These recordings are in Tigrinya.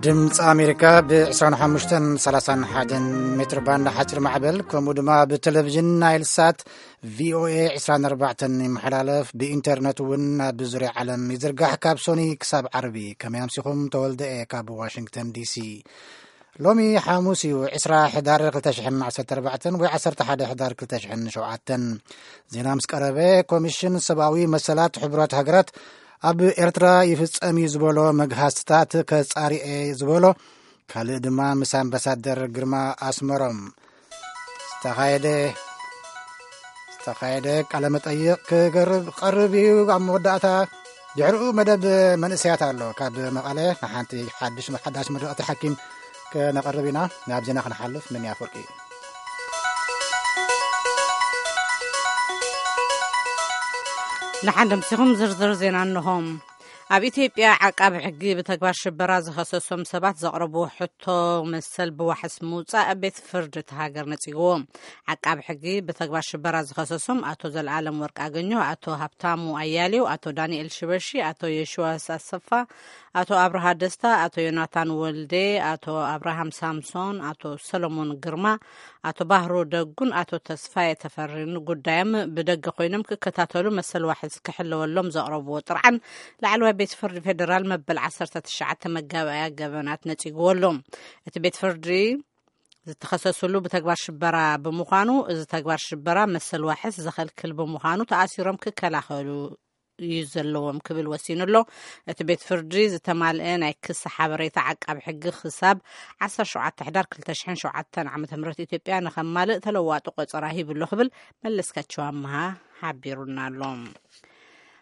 ድምፂ ኣሜሪካ ብ ዕስራን ሓሙሽተን ሰላሳን ሓደን ሜትር ባንድ ሓፂር ማዕበል፣ ከምኡ ድማ ብቴሌቪዥን ናይል ሳት ቪኦኤ ዕስራን ኣርባዕተን ይመሓላለፍ። ብኢንተርነት እውን ኣብ ዙርያ ዓለም ይዝርጋሕ። ካብ ሶኒ ክሳብ ዓርቢ። ከመይ ኣምሲኹም? ተወልደ እየ ካብ ዋሽንግተን ዲሲ። ሎሚ ሓሙስ እዩ፣ ዕስራ ሕዳር ክልተ ሽሕን ዓሰርተ ኣርባዕተን ወይ ዓሰርተ ሓደ ሕዳር ክልተ ሽሕን ሸውዓተን። ዜና ምስ ቀረበ፣ ኮሚሽን ሰብኣዊ መሰላት ሕቡራት ሃገራት ኣብ ኤርትራ ይፍጸም እዩ ዝበሎ መግሃስትታት ከጻሪኤ ዝበሎ፣ ካልእ ድማ ምስ ኣምባሳደር ግርማ ኣስመሮም ዝተኻየደ ዝተኻየደ ቃለ መጠይቕ ክገርብ ቀርብ እዩ። ኣብ መወዳእታ ድሕሪኡ መደብ መንእሰያት ኣሎ። ካብ መቐለ ንሓንቲ ሓድሽ ሓዳሽ ምርቕቲ ሓኪም ከነቐርብ ኢና። ናብ ዜና ክንሓልፍ፣ ምን ያፈርቂ። ንሓደ ምሲኹም ዝርዝር ዜና እንሆም። ኣብ ኢትዮጵያ ዓቃቢ ሕጊ ብተግባር ሽበራ ዝኸሰሶም ሰባት ዘቕረብዎ ሕቶ መሰል ብዋሕስ ምውጻእ ቤት ፍርዲ እቲ ሃገር ነጺግዎ። ዓቃቢ ሕጊ ብተግባር ሽበራ ዝኸሰሶም ኣቶ ዘልኣለም ወርቅ ኣገኘሁ፣ ኣቶ ሃብታሙ ኣያሌው፣ ኣቶ ዳንኤል ሽበሺ፣ ኣቶ የሽዋስ ኣሰፋ፣ ኣቶ ኣብርሃ ደስታ፣ ኣቶ ዮናታን ወልዴ፣ ኣቶ ኣብርሃም ሳምሶን፣ ኣቶ ሰሎሞን ግርማ፣ ኣቶ ባህሩ ደጉን ኣቶ ተስፋዬ ተፈሪን ጉዳዮም ብደገ ኮይኖም ክከታተሉ መሰል ዋሕስ ክሕለወሎም ዘቕረብዎ ጥርዓን ላዕለዋይ ቤት ፍርዲ ፌደራል መበል ዓሰርተ ትሽዓተ መጋባእያ ገበናት ነጺግዎ ኣሎ። እቲ ቤት ፍርዲ ዝተኸሰስሉ ብተግባር ሽበራ ብምዃኑ፣ እዚ ተግባር ሽበራ መሰል ዋሕስ ዘኸልክል ብምዃኑ ተኣሲሮም ክከላኸሉ እዩ ዘለዎም ክብል ወሲኑ ኣሎ። እቲ ቤት ፍርዲ ዝተማልአ ናይ ክሲ ሓበሬታ ዓቃቢ ሕጊ ክሳብ ዓሰርተ ሸውዓተ ሕዳር ክልተ ሽሕን ሸውዓተን ዓመተ ምህረት ኢትዮጵያ ንኸማልእ ተለዋጢ ቆጸራ ሂቡ ኣሎ ክብል መለስካቸው ኣምሃ ሓቢሩና ኣሎ።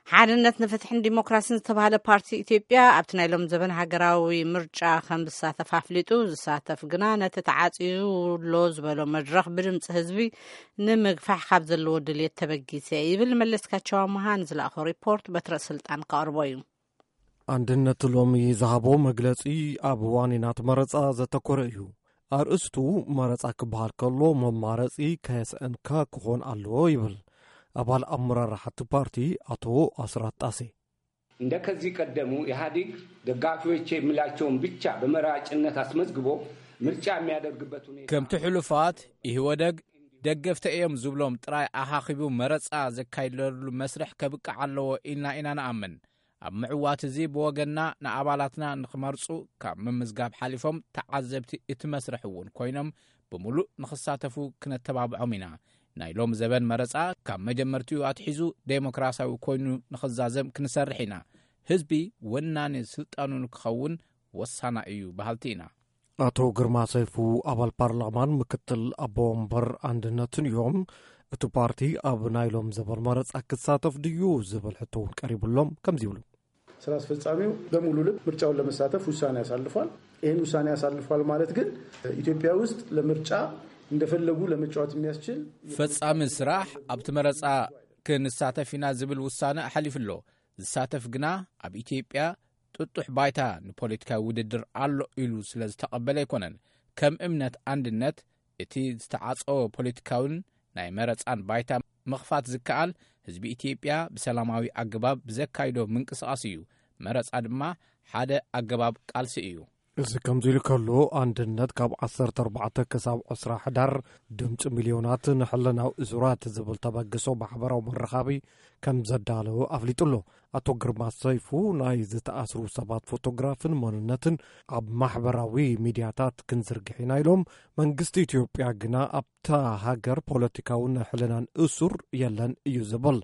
ሓድነት ንፍትሕን ዲሞክራሲን ዝተባህለ ፓርቲ ኢትዮጵያ ኣብቲ ናይ ሎም ዘበን ሃገራዊ ምርጫ ከም ዝሳተፍ ኣፍሊጡ፣ ዝሳተፍ ግና ነቲ ተዓጽዩ ኣሎ ዝበሎ መድረኽ ብድምፂ ህዝቢ ንምግፋሕ ካብ ዘለዎ ድልየት ተበጊሰ ይብል። መለስካቸው ኣምሃ ንዝለኣኾ ሪፖርት በትረ ስልጣን ከቕርቦ እዩ። ኣንድነት ሎሚ ዝሃቦ መግለጺ ኣብ ዋኒናት መረጻ ዘተኮረ እዩ። ኣርእስቱ መረጻ ክበሃል ከሎ መማረጺ ከየስአንካ ክኾን ኣለዎ ይብል ኣባል ኣመራርሓ እቲ ፓርቲ ኣቶ ኣስራት ጣሴ። እንደ ከዚህ ቀደሙ ኢህአዴግ ደጋፊዎቼ የሚላቸውን ብቻ በመራጭነት አስመዝግቦ ምርጫ የሚያደርግበት ሁኔታ ከምቲ ሕሉፋት ኢህወደግ ደገፍተ እዮም ዝብሎም ጥራይ ኣኻኺቡ መረጻ ዘካይደሉ መስርሕ ከብቅዕ ኣለዎ ኢልና ኢና ንኣምን። ኣብ ምዕዋት እዚ ብወገንና ንኣባላትና ንኽመርጹ ካብ ምምዝጋብ ሓሊፎም ተዓዘብቲ እቲ መስርሕ እውን ኮይኖም ብምሉእ ንኽሳተፉ ክነተባብዖም ኢና። ናይ ሎም ዘበን መረጻ ካብ መጀመርትኡ ኣትሒዙ ዴሞክራሲያዊ ኮይኑ ንኽዛዘም ክንሰርሕ ኢና። ህዝቢ ወናኒ ስልጣኑ ንክኸውን ወሳና እዩ በሃልቲ ኢና። ኣቶ ግርማ ሰይፉ ኣባል ፓርላማን ምክትል ኣቦ ወንበር ኣንድነትን እዮም። እቲ ፓርቲ ኣብ ናይ ሎም ዘበን መረጻ ክሳተፍ ድዩ ዝብል ሕቶ እውን ቀሪቡሎም ከምዚ ይብሉ። ስራ አስፈጻሚው በሙሉ ልብ ምርጫውን ለመሳተፍ ውሳኔ አሳልፏል። ይህን ውሳኔ አሳልፏል ማለት ግን ኢትዮጵያ ውስጥ ለምርጫ እንደፈለጉ ለመጫወት የሚያስችል ፈጻሚ ስራሕ ኣብቲ መረጻ ክንሳተፍ ኢና ዝብል ውሳነ ኣሕሊፉ ኣሎ። ዝሳተፍ ግና ኣብ ኢትዮጵያ ጥጡሕ ባይታ ንፖለቲካዊ ውድድር ኣሎ ኢሉ ስለ ዝተቐበለ ኣይኮነን። ከም እምነት ኣንድነት እቲ ዝተዓጸወ ፖለቲካውን ናይ መረጻን ባይታ ምኽፋት ዝከኣል ህዝቢ ኢትዮጵያ ብሰላማዊ ኣገባብ ብዘካይዶ ምንቅስቓስ እዩ። መረጻ ድማ ሓደ ኣገባብ ቃልሲ እዩ። እዚ ከምዚ ኢሉ ከሎ ኣንድነት ካብ ዓሰርተ ኣርባዕተ ክሳብ ዕስራ ሕዳር ድምፂ ሚልዮናት ንሕልናዊ እሱራት ዝብል ተበግሶ ማሕበራዊ መራኸቢ ከም ዘዳለወ ኣፍሊጡ ኣሎ። ኣቶ ግርማ ሰይፉ ናይ ዝተኣስሩ ሰባት ፎቶግራፍን መንነትን ኣብ ማሕበራዊ ሚድያታት ክንዝርግሕ ኢና ኢሎም። መንግስቲ ኢትዮጵያ ግና ኣብታ ሃገር ፖለቲካውን ናይ ሕልናን እሱር የለን እዩ ዝብል።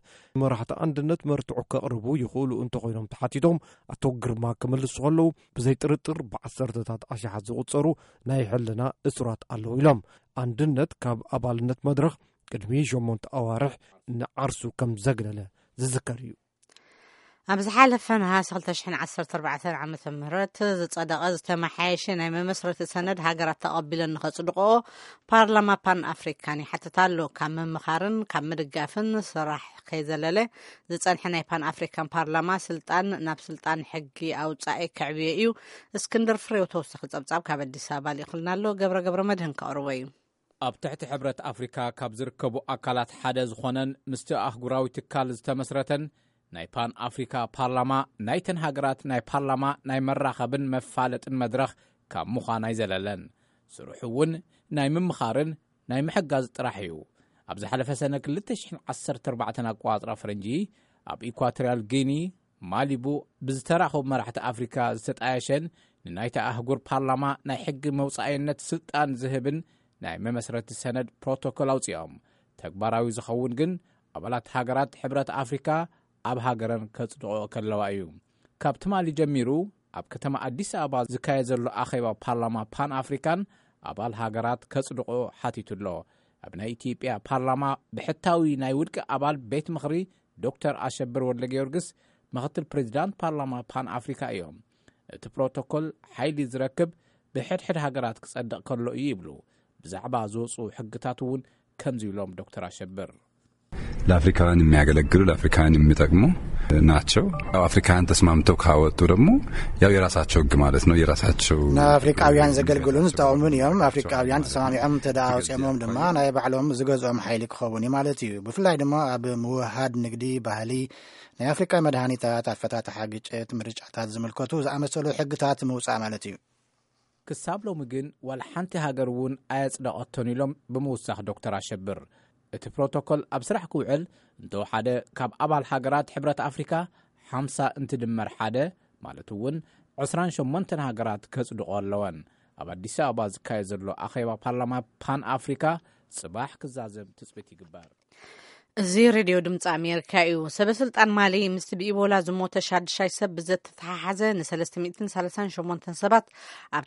መራሕቲ ኣንድነት መርትዖ ከቕርቡ ይኽእሉ እንተኾይኖም ተሓቲቶም ኣቶ ግርማ ክምልሱ ከለዉ ብዘይ ጥርጥር ብዓሰርተታት ኣሽሓት ዝቑጸሩ ናይ ሕልና እሱራት ኣለዉ ኢሎም። ኣንድነት ካብ ኣባልነት መድረኽ ቅድሚ ሸሞንተ ኣዋርሕ ንዓርሱ ከም ዘግለለ ዝዝከር እዩ። ኣብ ዝሓለፈ ነሃሲ ክልተ ሽሕን ዓሰርተ ኣርባዕተን ዓመተ ምህረት ዝጸደቐ ዝተመሓየሸ ናይ መመስረቲ ሰነድ ሃገራት ተቐቢለን ንኸጽድቕኦ ፓርላማ ፓን ኣፍሪካን ይሓትት ኣሎ። ካብ ምምኻርን ካብ ምድጋፍን ስራሕ ከይዘለለ ዝጸንሐ ናይ ፓን ኣፍሪካን ፓርላማ ስልጣን ናብ ስልጣን ሕጊ ኣውጻኢ ከዕብዮ እዩ። እስክንድር ፍሬው ተወሳኺ ጸብጻብ ካብ ኣዲስ ኣበባ ልኢኹልና ኣሎ። ገብረ ገብረ መድህን ከቕርቦ እዩ። ኣብ ትሕቲ ሕብረት ኣፍሪካ ካብ ዝርከቡ ኣካላት ሓደ ዝኾነን ምስቲ ኣህጉራዊ ትካል ዝተመስረተን ናይ ፓን ኣፍሪካ ፓርላማ ናይተን ሃገራት ናይ ፓርላማ ናይ መራኸብን መፋለጥን መድረኽ ካብ ምዃን ኣይዘለለን። ስርሑ እውን ናይ ምምኻርን ናይ ምሕጋዝ ጥራሕ እዩ። ኣብ ዝሓለፈ ሰነ ክልተ ሽሕን ዓሰርተ ኣርባዕተን ኣቆጻጽራ ፈረንጂ ኣብ ኢኳቶሪያል ጊኒ ማሊቡ ብዝተራኸቡ መራሕቲ ኣፍሪካ ዝተጣየሸን ንናይታ ኣህጉር ፓርላማ ናይ ሕጊ መውፃኣይነት ስልጣን ዝህብን ናይ መመስረቲ ሰነድ ፕሮቶኮል ኣውፂኦም። ተግባራዊ ዝኸውን ግን ኣባላት ሃገራት ሕብረት ኣፍሪካ ኣብ ሃገረን ከጽድቆ ከለዋ እዩ። ካብ ትማሊ ጀሚሩ ኣብ ከተማ ኣዲስ ኣበባ ዝካየድ ዘሎ ኣኼባ ፓርላማ ፓን ኣፍሪካን ኣባል ሃገራት ከጽድቆ ሓቲቱ ኣሎ። ኣብ ናይ ኢትዮጵያ ፓርላማ ብሕታዊ ናይ ውልቂ ኣባል ቤት ምኽሪ ዶክተር ኣሸብር ወልደ ጊዮርጊስ ምኽትል ፕሬዚዳንት ፓርላማ ፓን ኣፍሪካ እዮም። እቲ ፕሮቶኮል ሓይሊ ዝረክብ ብሕድሕድ ሃገራት ክጸድቕ ከሎ እዩ ይብሉ። ብዛዕባ ዝወፁ ሕግታት እውን ከምዚ ኢሎም ዶክተር ኣሸብር። ለአፍሪካውያን የሚያገለግሉ ለአፍሪካውያን የሚጠቅሙ ናቸው። ያው አፍሪካውያን ተስማምተው ካወጡ ደግሞ ያው የራሳቸው ህግ ማለት ነው። የራሳቸው ንኣፍሪቃውያን ዘገልግሉን ዝጠቕሙን እዮም። ኣፍሪቃውያን ተሰማሚዖም እንተ ደኣ ኣውፅኦምዎም ድማ ናይ ባዕሎም ዝገዝኦም ሓይሊ ክኸውን እዩ ማለት እዩ። ብፍላይ ድማ ኣብ ምውሃድ ንግዲ፣ ባህሊ፣ ናይ ኣፍሪቃ መድሃኒታት፣ ኣፈታትሓ ግጭት፣ ምርጫታት ዝምልከቱ ዝኣመሰሉ ሕግታት ምውፃእ ማለት እዩ። ክሳብ ሎሚ ግን ዋላ ሓንቲ ሃገር እውን ኣየጽደቐቶን ኢሎም ብምውሳኽ ዶክተር ኣሸብር፣ እቲ ፕሮቶኮል ኣብ ስራሕ ክውዕል እንተወሓደ ካብ ኣባል ሃገራት ሕብረት ኣፍሪካ ሓምሳ እንትድመር ሓደ ማለት እውን ዕስራን ሸሞንተን ሃገራት ከጽድቆ ኣለወን። ኣብ ኣዲስ ኣበባ ዝካየድ ዘሎ ኣኼባ ፓርላማ ፓን ኣፍሪካ ጽባሕ ክዛዘም ትጽቢት ይግበር። እዚ ሬድዮ ድምፂ ኣሜሪካ እዩ። ሰበ ስልጣን ማሊ ምስቲ ብኢቦላ ዝሞተ ሻድሻይ ሰብ ብዘተተሓሓዘ ን ሰለስተ ሚእትን ሰላሳን ሸሞንተን ሰባት ኣብ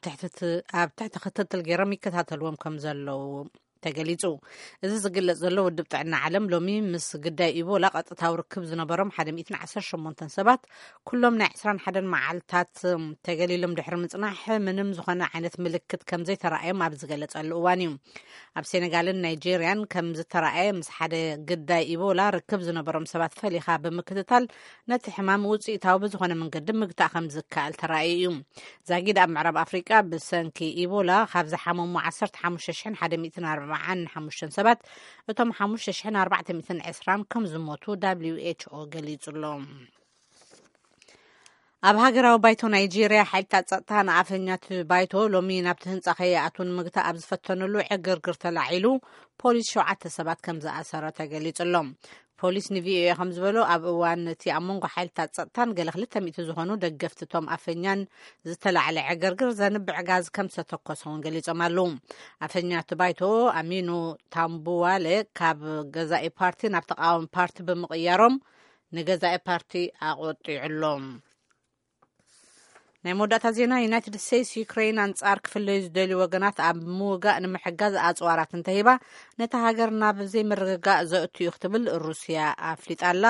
ትሕቲ ክትትል ገይሮም ይከታተልዎም ከም ዘለዉ ተገሊጹ። እዚ ዝግለጽ ዘሎ ውድብ ጥዕና ዓለም ሎሚ ምስ ግዳይ ኢቦላ ቀጥታዊ ርክብ ዝነበሮም ሓደ ሚእትን ዓሰርተ ሸሞንተን ሰባት ኩሎም ናይ ዕስራን ሓደን መዓልታት ተገሊሎም ድሕሪ ምጽናሕ ምንም ዝኾነ ዓይነት ምልክት ከም ዘይተረኣዮም ኣብ ዝገለጸሉ እዋን እዩ። ኣብ ሴኔጋልን ናይጄርያን ከም ዝተረኣየ ምስ ሓደ ግዳይ ኢቦላ ርክብ ዝነበሮም ሰባት ፈሊኻ ብምክትታል ነቲ ሕማም ውፅኢታዊ ብዝኾነ መንገዲ ምግታእ ከም ዝከኣል ተራእዩ እዩ። ዛጊድ ኣብ ምዕራብ ኣፍሪቃ ብሰንኪ ኢቦላ ካብ ዝሓመሙ ዓሰርተ ሓሙሽተ ሽሕን ሓደ ሚእትን ኣርባዓን ሓሙሽተን ሰባት እቶም ሓሙሽተ ሽሕን ኣርባዕተ ሚእትን ዕስራን ከም ዝሞቱ ደብሊው ኤች ኦ ገሊጹ ኣሎ። ኣብ ሃገራዊ ባይቶ ናይጄርያ ሓይልታት ጸጥታ ንኣፈኛት ባይቶ ሎሚ ናብቲ ህንጻ ከይኣትዉ ንምግታእ ኣብ ዝፈተኑሉ ዕግርግር ተላዒሉ ፖሊስ ሸውዓተ ሰባት ከም ዝኣሰረ ተገሊጹ ኣሎ። ፖሊስ ንቪኦኤ ከም ዝበሎ ኣብ እዋን እቲ ኣብ መንጎ ሓይልታት ጸጥታን ገለ ክልተ ሚእቲ ዝኾኑ ደገፍቲ እቶም ኣፈኛን ዝተላዕለ ዕግርግር ዘንብዕ ጋዝ ከም ዝተተኮሰ እውን ገሊጾም ኣለዉ። ኣፈኛት ባይቶ ኣሚኑ ታምቡዋለ ካብ ገዛኢ ፓርቲ ናብ ተቃዋሚ ፓርቲ ብምቕያሮም ንገዛኢ ፓርቲ ኣቆጢዑ ኣሎ። ናይ መወዳእታ ዜና። ዩናይትድ ስቴትስ ዩክሬን ኣንጻር ክፍለዩ ዝደልዩ ወገናት ኣብ ምውጋእ ንምሕጋዝ ኣጽዋራት እንተሂባ ነታ ሃገር ናብ ዘይምርግጋእ ዘእቱ እዩ ክትብል ሩስያ ኣፍሊጣ ኣላ።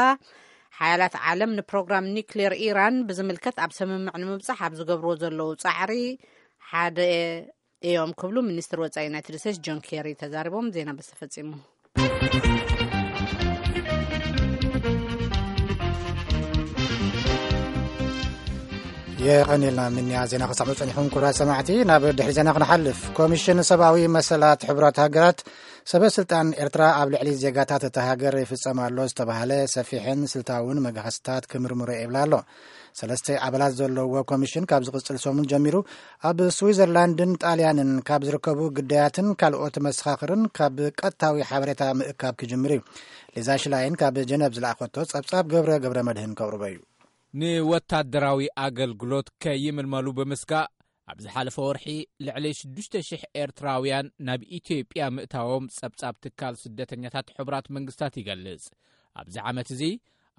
ሓያላት ዓለም ንፕሮግራም ኒክሌር ኢራን ብዝምልከት ኣብ ስምምዕ ንምብጻሕ ኣብ ዝገብርዎ ዘለዉ ጻዕሪ ሓደ እዮም ክብሉ ሚኒስትር ወጻኢ ዩናይትድ ስቴትስ ጆን ኬሪ ተዛሪቦም። ዜና በዚ ተፈጺሙ። የቐኒልና ምንያ ዜና ክሰምዑ ጸኒሕኩም ክቡራት ሰማዕቲ። ናብ ድሕሪ ዜና ክንሓልፍ። ኮሚሽን ሰብኣዊ መሰላት ሕቡራት ሃገራት ሰበ ስልጣን ኤርትራ ኣብ ልዕሊ ዜጋታት እታ ሃገር ይፍጸም ኣሎ ዝተባህለ ሰፊሕን ስልታውን መጋህስታት ክምርምሮ ይብላ ኣሎ። ሰለስተ ኣባላት ዘለዎ ኮሚሽን ካብ ዝቕጽል ሰሙን ጀሚሩ ኣብ ስዊዘርላንድን ጣልያንን ካብ ዝርከቡ ግዳያትን ካልኦት መሰኻኽርን ካብ ቀጥታዊ ሓበሬታ ምእካብ ክጅምር እዩ። ሊዛ ሽላይን ካብ ጀነቭ ዝለኣኸቶ ጸብጻብ ገብረ ገብረ መድህን ከቕርቦ እዩ። ንወታደራዊ ኣገልግሎት ከይምልመሉ ብምስጋእ ኣብ ዝሓለፈ ወርሒ ልዕሊ ሽዱሽተ ሽሕ ኤርትራውያን ናብ ኢትዮጵያ ምእታዎም ጸብጻብ ትካል ስደተኛታት ሕቡራት መንግስታት ይገልጽ። ኣብዚ ዓመት እዚ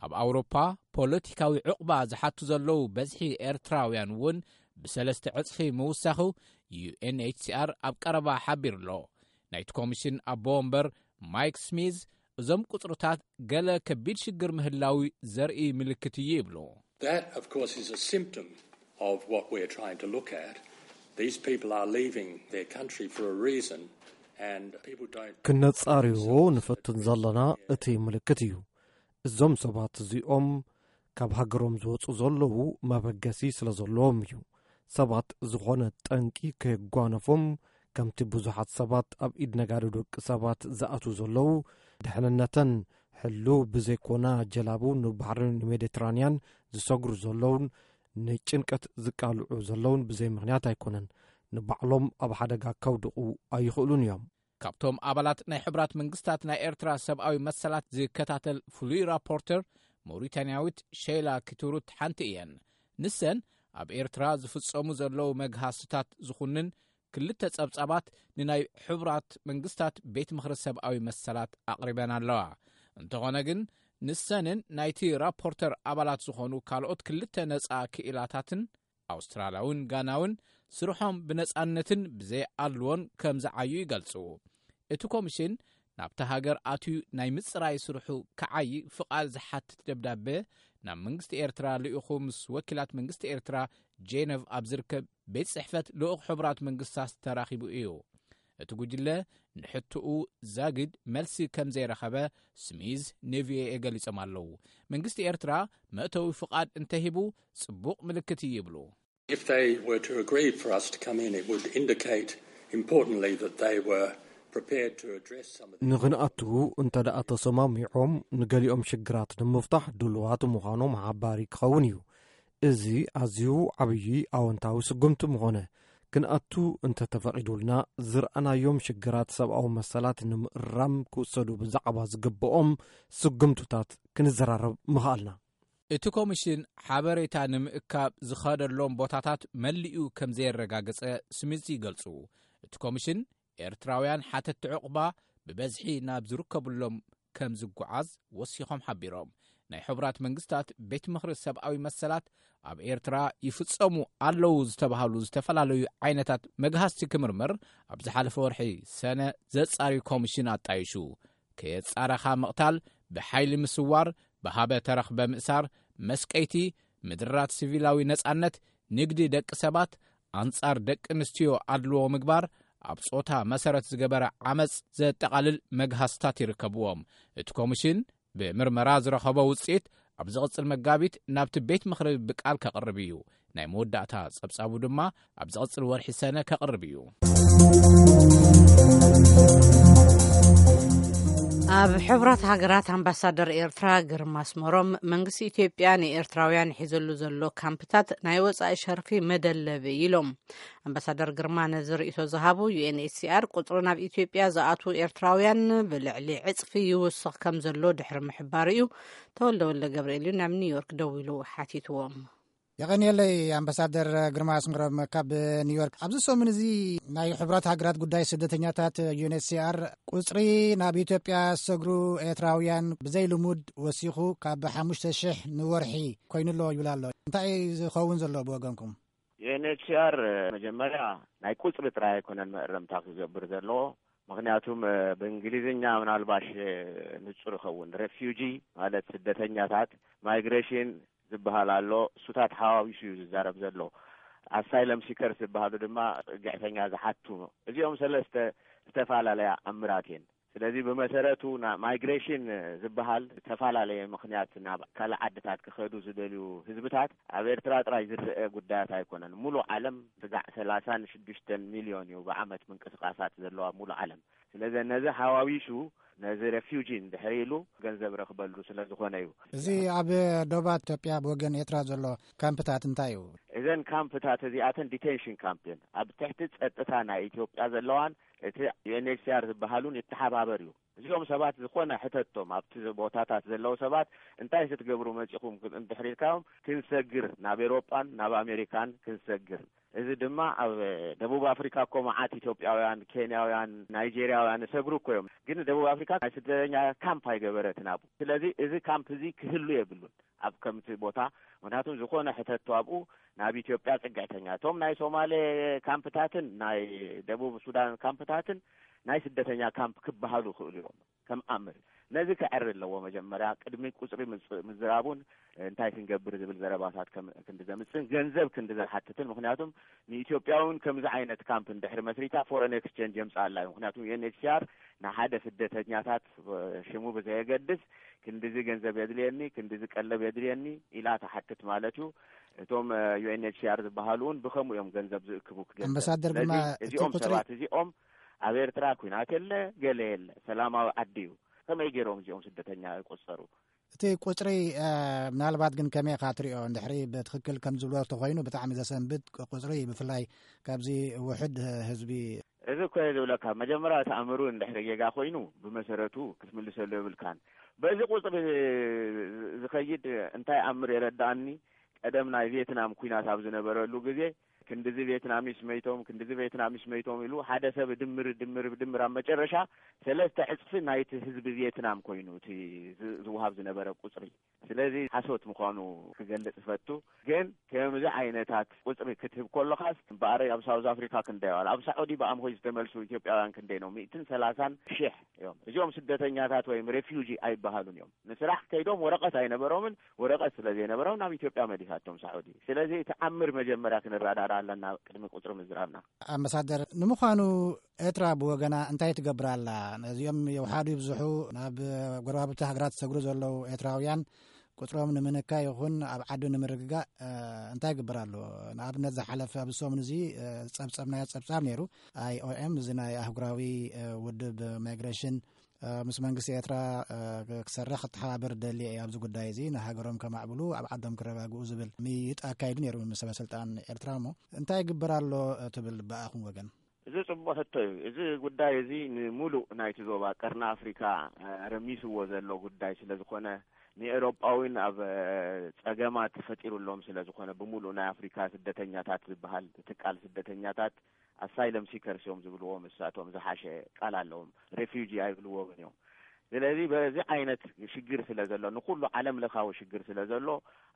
ኣብ ኣውሮፓ ፖለቲካዊ ዕቑባ ዝሓቱ ዘለዉ በዝሒ ኤርትራውያን እውን ብሰለስተ ዕጽፊ ምውሳኹ ዩ ኤን ኤች ሲ ኣር ኣብ ቀረባ ሓቢሩ ኣሎ። ናይቲ ኮሚሽን ኣቦ ወንበር ማይክ ስሚዝ እዞም ቁጽርታት ገለ ከቢድ ሽግር ምህላዊ ዘርኢ ምልክት እዩ ይብሉ። That, of course, is a symptom of what we're trying to look at. These people are leaving their country for a reason, and people don't. ክነጻርዮ ንፈትን ዘለና እቲ ምልክት እዩ። እዞም ሰባት እዚኦም ካብ ሃገሮም ዝወጹ ዘለዉ መበገሲ ስለ ዘለዎም እዩ። ሰባት ዝኾነ ጠንቂ ከየጓነፎም ከምቲ ብዙሓት ሰባት ኣብ ኢድ ነጋዶ ደቂ ሰባት ዝኣትዉ ዘለዉ፣ ድሕንነተን ሕሉው ብዘይኮና ጀላቡ ንባሕሪ ሜዲትራንያን ዝሰግሩ ዘለዉን ንጭንቀት ዝቃልዑ ዘለዉን ብዘይ ምኽንያት ኣይኮነን። ንባዕሎም ኣብ ሓደጋ ከውድቑ ኣይኽእሉን እዮም። ካብቶም ኣባላት ናይ ሕቡራት መንግስታት ናይ ኤርትራ ሰብኣዊ መሰላት ዝከታተል ፍሉይ ራፖርተር ሞሪታንያዊት ሸይላ ኪቱሩት ሓንቲ እየን። ንሰን ኣብ ኤርትራ ዝፍጸሙ ዘለዉ መግሃስታት ዝኹንን ክልተ ጸብጻባት ንናይ ሕቡራት መንግስታት ቤት ምኽሪ ሰብኣዊ መሰላት ኣቕሪበን ኣለዋ። እንተኾነ ግን ንሰንን ናይቲ ራፖርተር ኣባላት ዝኾኑ ካልኦት ክልተ ነጻ ክኢላታትን ኣውስትራልያውን ጋናውን ስርሖም ብነጻነትን ብዘይ ኣድልዎን ከም ዝዓዩ ይገልጹ። እቲ ኮሚሽን ናብታ ሃገር ኣትዩ ናይ ምጽራይ ስርሑ ክዓዪ ፍቓድ ዝሓትት ደብዳበ ናብ መንግስቲ ኤርትራ ልኢኹ ምስ ወኪላት መንግስቲ ኤርትራ ጄነቭ ኣብ ዝርከብ ቤት ጽሕፈት ልኡኽ ሕቡራት መንግስታት ተራኺቡ እዩ። እቲ ጉጅለ ንሕትኡ ዛግድ መልሲ ከም ዘይረኸበ ስሚዝ ንቪኦኤ ገሊጾም ኣለዉ። መንግስቲ ኤርትራ መእተዊ ፍቓድ እንተሂቡ ጽቡቕ ምልክት እዩ ይብሉ። If they were to agree for us to come in, it would indicate, importantly, that they were prepared to address some of the ንኽንኣትዉ እንተ ደኣ ተሰማሚዖም ንገሊኦም ሽግራት ንምፍታሕ ድሉዋት ምዃኖም ሓባሪ ክኸውን እዩ። እዚ ኣዝዩ ዓብዪ ኣወንታዊ ስጉምቲ ምኾነ። ክንኣቱ እንተ ተፈቒዱልና ዝረኣናዮም ሽግራት ሰብኣዊ መሰላት ንምእራም ክውሰዱ ብዛዕባ ዝግብኦም ስጉምትታት ክንዘራረብ ምኽኣልና። እቲ ኮሚሽን ሓበሬታ ንምእካብ ዝኸደሎም ቦታታት መሊኡ ከም ዘየረጋገጸ ስሚዝ ይገልጹ። እቲ ኮሚሽን ኤርትራውያን ሓተቲ ዕቑባ ብበዝሒ ናብ ዝርከብሎም ከም ዝጓዓዝ ወሲኾም ሓቢሮም። ናይ ሕቡራት መንግስታት ቤት ምኽሪ ሰብኣዊ መሰላት ኣብ ኤርትራ ይፍጸሙ ኣለዉ ዝተባሃሉ ዝተፈላለዩ ዓይነታት መግሃስቲ ክምርምር ኣብ ዝሓለፈ ወርሒ ሰነ ዘጻሪ ኮሚሽን ኣጣይሹ። ከየጻረኻ ምቕታል፣ ብሓይሊ ምስዋር፣ ብሃበ ተረኽበ ምእሳር፣ መስቀይቲ፣ ምድራት ሲቪላዊ ነጻነት፣ ንግዲ ደቂ ሰባት፣ ኣንጻር ደቂ ኣንስትዮ ኣድልዎ ምግባር፣ ኣብ ጾታ መሰረት ዝገበረ ዓመጽ ዘጠቓልል መግሃስታት ይርከብዎም። እቲ ኮሚሽን ብምርመራ ዝረኸቦ ውጽኢት ኣብ ዝቕጽል መጋቢት ናብቲ ቤት ምኽሪ ብቃል ከቕርብ እዩ። ናይ መወዳእታ ጸብጻቡ ድማ ኣብ ዝቕጽል ወርሒ ሰነ ከቕርብ እዩ። ኣብ ሕቡራት ሃገራት ኣምባሳደር ኤርትራ ግርማ ኣስመሮም መንግስቲ ኢትዮጵያ ንኤርትራውያን ሒዘሉ ዘሎ ካምፕታት ናይ ወጻኢ ሸርፊ መደለቢ ኢሎም። ኣምባሳደር ግርማ ነዚ ርእይቶ ዝሃቡ ዩ ኤን ኤች ሲ ኣር ቁጽሪ ናብ ኢትዮጵያ ዝኣትዉ ኤርትራውያን ብልዕሊ ዕጽፊ ይውስኽ ከም ዘሎ ድሕሪ ምሕባሩ እዩ። ተወልደ ወልደ ገብርኤል እዩ ናብ ኒውዮርክ ደዊሉ ሓቲትዎም። የቐንየለይ ኣምባሳደር ግርማ ኣስመሮም ካብ ኒውዮርክ። ኣብዚ ሰሙን እዚ ናይ ሕቡራት ሃገራት ጉዳይ ስደተኛታት ዩ ኤን ኤች ሲ ኣር ቁጽሪ ናብ ኢትዮጵያ ዝሰግሩ ኤርትራውያን ብዘይ ልሙድ ወሲኹ ካብ ሓሙሽተ ሽሕ ንወርሒ ኮይኑሎ ይብል ኣሎ። እንታይ ዝኸውን ዘሎ ብወገንኩም? ዩ ኤን ኤች ሲ ኣር መጀመርያ ናይ ቁጽሪ ጥራይ ኣይኮነን መእረምታ ክገብር ዘለዎ። ምኽንያቱም ብእንግሊዝኛ ምናልባሽ ንጹር ይኸውን፣ ሬፊውጂ ማለት ስደተኛታት፣ ማይግሬሽን ዝበሃል ኣሎ። እሱታት ሓዋዊሱ እዩ ዝዛረብ ዘሎ። ኣሳይለም ሲከርስ ዝበሃሉ ድማ ጽግዕተኛ ዝሓቱ። እዚኦም ሰለስተ ዝተፈላለያ ኣምራት እየን። ስለዚ ብመሰረቱ ማይግሬሽን ዝበሃል ዝተፈላለየ ምኽንያት ናብ ካልእ ዓድታት ክኸዱ ዝደልዩ ህዝብታት ኣብ ኤርትራ ጥራይ ዝረአ ጉዳያት ኣይኮነን። ሙሉእ ዓለም ስጋዕ ሰላሳን ሽዱሽተን ሚልዮን እዩ ብዓመት ምንቅስቃሳት ዘለዋ ሙሉእ ዓለም። ስለዚ ነዚ ሓዋዊሱ ነዚ ሬፊውጂ እንድሕር ኢሉ ገንዘብ ረኽበሉ ስለ ዝኾነ እዩ። እዚ ኣብ ዶባት ኢትዮጵያ ብወገን ኤርትራ ዘሎ ካምፕታት እንታይ እዩ? እዘን ካምፕታት እዚኣተን ዲቴንሽን ካምፕ እየን። ኣብ ትሕቲ ጸጥታ ናይ ኢትዮጵያ ዘለዋን እቲ ዩ ኤን ኤች ሲ ኣር ዝበሃሉን ይተሓባበር እዩ። እዚኦም ሰባት ዝኾነ ሕተቶም ኣብቲ ቦታታት ዘለዉ ሰባት እንታይ ክትገብሩ መጺኹም እንድሕር ኢልካዮም፣ ክንሰግር ናብ ኤሮጳን ናብ ኣሜሪካን ክንሰግር። እዚ ድማ ኣብ ደቡብ ኣፍሪካ እኮ መዓት ኢትዮጵያውያን፣ ኬንያውያን፣ ናይጄርያውያን ይሰግሩ እኮ እዮም። ግን ደቡብ ኣፍሪካ ናይ ስደተኛ ካምፕ ኣይገበረትን ኣብኡ። ስለዚ እዚ ካምፕ እዚ ክህሉ የብሉን ኣብ ከምቲ ቦታ። ምክንያቱም ዝኾነ ሕተቶ ኣብኡ ናብ ኢትዮጵያ ጽግዕተኛ። እቶም ናይ ሶማሌ ካምፕታትን ናይ ደቡብ ሱዳን ካምፕታትን ናይ ስደተኛ ካምፕ ክበሃሉ ይኽእሉ እዮም። ከም ኣምር ነዚ ክዕሪ ኣለዎ። መጀመርያ ቅድሚ ቁጽሪ ምዝራቡን እንታይ ክንገብር ዝብል ዘረባታት ክንዲ ዘምጽእን ገንዘብ ክንዲ ዘሓትትን። ምክንያቱም ንኢትዮጵያ እውን ከምዚ ዓይነት ካምፕ እንድሕሪ መስሪታ ፎረን ኤክስቼንጅ የምጽኣላ እዩ። ምክንያቱም ዩ ኤን ኤች ሲ ኣር ንሓደ ስደተኛታት ሽሙ ብዘየገድስ ክንዲዚ ገንዘብ የድልየኒ፣ ክንዲዚ ቀለብ የድልየኒ ኢላ ትሓትት ማለት እዩ። እቶም ዩ ኤን ኤች ሲ ኣር ዝበሃሉ እውን ብከምኡ እዮም ገንዘብ ዝእክቡ ክገንዘብ። ኣምባሳደር ግርማ፣ ስለዚ እቲ እዚኦም ቁጽሪ ሰባት እዚኦም ኣብ ኤርትራ ኲናት የለ ገለ የለ፣ ሰላማዊ ዓዲ እዩ። ከመይ ገይሮም እዚኦም ስደተኛ ይቆጸሩ? እቲ ቁፅሪ ምናልባት ግን ከመይ ኢኻ ትሪኦ? እንድሕሪ ብትኽክል ከም ዝብሎ ተኮይኑ ብጣዕሚ ዘሰንብድ ቁፅሪ፣ ብፍላይ ካብዚ ውሕድ ህዝቢ። እዚ እኮ እየ ዝብለካ፣ መጀመርያ እቲ ኣምር እውን እንድሕሪ ጌጋ ኮይኑ ብመሰረቱ ክትምልሰሉ የብልካን። በዚ ቁፅሪ ዝኸይድ እንታይ ኣምር የረዳእኒ? ቀደም ናይ ቪየትናም ኩናት ኣብ ዝነበረሉ ግዜ ክንድዚ ቪየትናሚስ መይቶም፣ ክንድዚ ቪየትናሚስ መይቶም ኢሉ ሓደ ሰብ ድምር ድምር ድምር ኣብ መጨረሻ ሰለስተ ዕፅፊ ናይቲ ህዝቢ ቪየትናም ኮይኑ እቲ ዝውሃብ ዝነበረ ቁፅሪ። ስለዚ ሓሶት ምዃኑ ክገልጽ እፈቱ። ግን ከምዚ ዓይነታት ቁጽሪ ክትህብ ከለኻስ እምበኣር ኣብ ሳውዝ ኣፍሪካ ክንደይ ኣዋል፣ ኣብ ሳዑዲ ብኣምሆይ ዝተመልሱ ኢትዮጵያውያን ክንደይ ነው? ሚእትን ሰላሳን ሽሕ እዮም። እዚኦም ስደተኛታት ወይም ሬፊውጂ ኣይበሃሉን እዮም። ንስራሕ ከይዶም ወረቐት ኣይነበሮምን፣ ወረቐት ስለ ዘይነበሮም ናብ ኢትዮጵያ መሊሳቶም ሳዑዲ። ስለዚ እቲ ኣምር መጀመርያ ክንረዳዳ ኣለና ቅድሚ ቁጽሪ ምዝራብና። ኣምባሳደር፣ ንምዃኑ ኤርትራ ብወገና እንታይ ትገብር ኣላ? ነዚኦም የውሓዱ ይብዝሑ ናብ ጎረባብቲ ሃገራት ዝሰግሩ ዘለዉ ኤርትራውያን ቁጽሮም ንምንካይ ይኹን ኣብ ዓዱ ንምርግጋእ እንታይ ይግበር ኣሎ? ንኣብነት ዝሓለፈ ኣብዚ ሰሙን እዚ ዝጸብጸብናዮ ጸብጻብ ነይሩ። ኣይኦኤም፣ እዚ ናይ ኣህጉራዊ ውድብ ማይግሬሽን፣ ምስ መንግስቲ ኤርትራ ክሰርሕ ክተሓባበር ደልየ እየ ኣብዚ ጉዳይ እዚ፣ ንሃገሮም ከማዕብሉ ኣብ ዓዶም ክረጋግኡ ዝብል ምይይጥ ኣካይዱ ነይሩ ምስ ሰበስልጣን ኤርትራ። እሞ እንታይ ይግበር ኣሎ ትብል ብኣኹም ወገን? እዚ ጽቡቕ ሕቶ እዩ። እዚ ጉዳይ እዚ ንምሉእ ናይቲ ዞባ ቀርኒ ኣፍሪካ ረሚስዎ ዘሎ ጉዳይ ስለ ዝኾነ፣ ንኤውሮጳ እውን ኣብ ጸገማት ፈጢሩሎም ስለ ዝኾነ፣ ብምሉእ ናይ ኣፍሪካ ስደተኛታት ዝበሃል ትካል ስደተኛታት ኣሳይለም ሲከርስ እዮም ዝብልዎም እሳቶም፣ ዝሓሸ ቃል ኣለዎም፣ ሬፊጂ ኣይብልዎምን እዮም። ስለዚ በዚ ዓይነት ሽግር ስለ ዘሎ፣ ንኩሉ ዓለም ለኻዊ ሽግር ስለ ዘሎ፣